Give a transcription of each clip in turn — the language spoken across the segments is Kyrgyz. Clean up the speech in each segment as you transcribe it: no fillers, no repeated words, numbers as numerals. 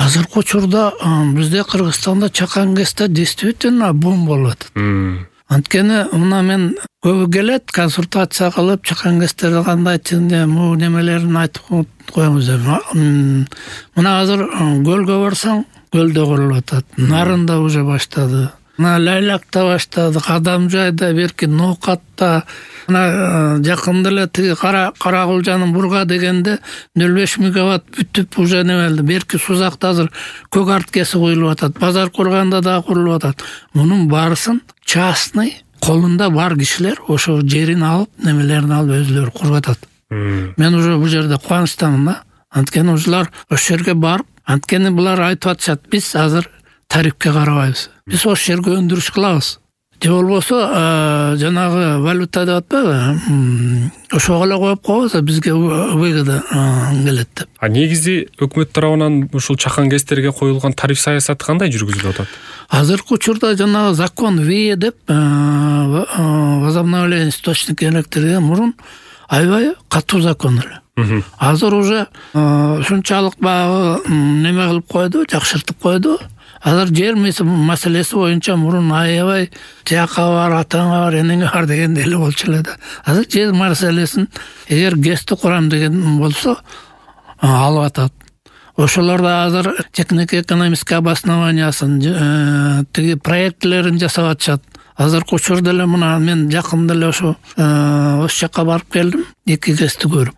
Азыркы учурда бизде Кыргызстанда чакан ГЭСте действительно бум болуп атат. Анткени мына мен көбү келет, консультация кылып, чакан ГЭСтерди кандай бул немелерин айтып коюңуз деп. Мына азыр көлгө барсаң, көлдө курулуп атат. Нарында уже баштады. Мына Лайлакта баштады, Кадамжайда, берки Ноокатта, мына жакында эле тиги Каракулжанын Бурга дегенде 05 мегаватт бүтүп уже немелди. Берки Сузакта азыр көк арткеси коюлуп атат. Базар Курганда да курулуп атат. Мунун баарысын частный колунда бар кишилер ошо жерин алып, немелерин алып өзүлөрү куруп атат. Мен уже бул жерде кубанычтамын да. Анткени ушулар ошол жерге барып, анткени булар айтып атышат, биз азыр тарифке карабайбыз. Биз ошол жерге өндүрүш кылабыз. Же болбосо жанагы валюта деп атпайбы? Ошого эле коюп коебуз, бизге выгода келет деп. Негизи өкмөт тарабынан ушул чакан ГЭСтерге коюлган тариф саясаты кандай жүргүзүлүп атат? Азыркы учурда жанагы закон ВИЭ деп возобновление источника электроэнергии мурун аябай катуу закон эле. Азыр уже ушунчалык багы неме кылып койду, жакшыртып койду. Азыр жер маселеси боюнча мурун аябай тияка бар, атаңа бар, энеңе бар дегенде эле болчу эле да. Азыр жер маселесин эгер ГЭСти курам деген болсо алып атат. Ошолордо азыр технико-экономический обоснованиясын, тиги проектлерин жасап атышат. Азыркы учурда эле мына мен жакында эле ошо жакка барып келдим, 2 ГЭСти көрүп.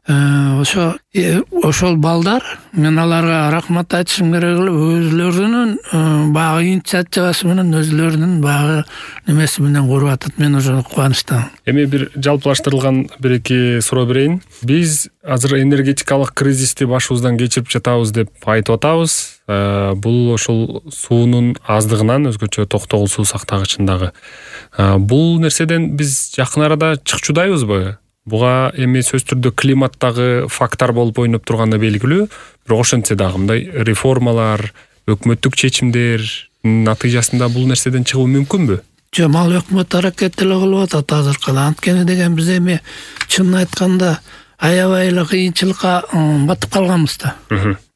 Ошол балдар, мен аларга рахмат айтышым керек эле, өзлөрүнүн багы инициативасы менен, өзлөрүнүн багы немеси менен куруп атат. Мен ошо кубанычтамын. Эми бир жалпылаштырылган бир-эки суроо берейин. Биз азыр энергетикалык кризисти башыбыздан кечирип жатабыз деп айтып атабыз. Бул ошол суунун аздыгынан, өзгөчө токтогул суу сактагычындагы. Бул нерседен биз жакын арада чыкчудайбызбы? Буга эми сөз түрдө климаттагы фактор болуп ойноп турганы белгилүү. Бирок ошентсе дагы мындай реформалар, өкмөттүк чечимдер натыйжасында бул нерседен чыгуу мүмкүнбү? Жок, ал өкмөт аракет эле кылып атат азыркыда. Анткени деген биз эми чынын айтканда аябай эле кыйынчылыкка батып калганбыз да.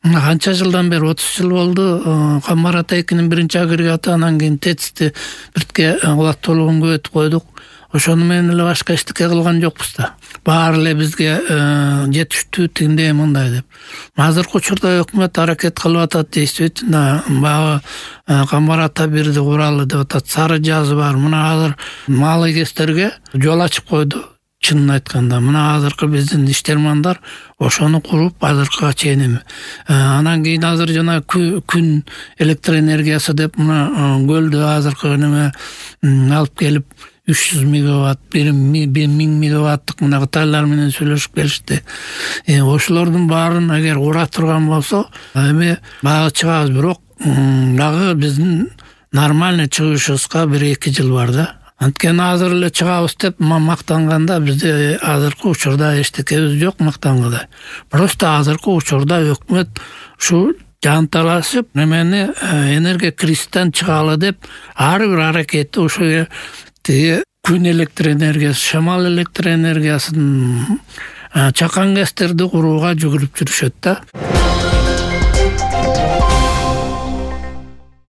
Канча жылдан бери 30 жыл болду. Камбар ата 2-нин 1-агрегаты, анан кийин ТЭЦти биртке кубаттуулугун көбөйтүп койдук. Ошону менен эле башка эчтеке кылган жокпуз да. Баары эле бизге жетиштүү тигиндей мындай деп. Азыркы учурда өкмөт аракет кылып атат, действительно багы Камбар ата бирди куралы деп атат. Сары жазы бар. Мына азыр малый ГЭСтерге жол ачып койду. Чынын айтканда, мына азыркы биздин иштермандар ошону куруп азыркыга чейин. Анан кийин азыр жана күн электроэнергиясы деп мына көлдө азыркы неме алып келип 300 мегаватт, 1000 мегаваттык мына Кытайлар менен сүйлөшүп келишти. Ошолордун баарын эгер кура турган болсо, эми багы чыгабыз, бирок дагы биздин нормальный чыгышыбызга 1-2 жыл бар да. Анткени азыр эле чыгабыз деп мактанганда бизде азыркы учурда эчтекебиз жок мактангандай. Просто азыркы учурда өкмөт ушу жанталашып немени энергия кризистен чыгалы деп ар бир аракети ошо тиги күн электроэнергиясы, шамал электроэнергиясын, чакан ГЭСтерди курууга жүгүрүп жүрүшөт да.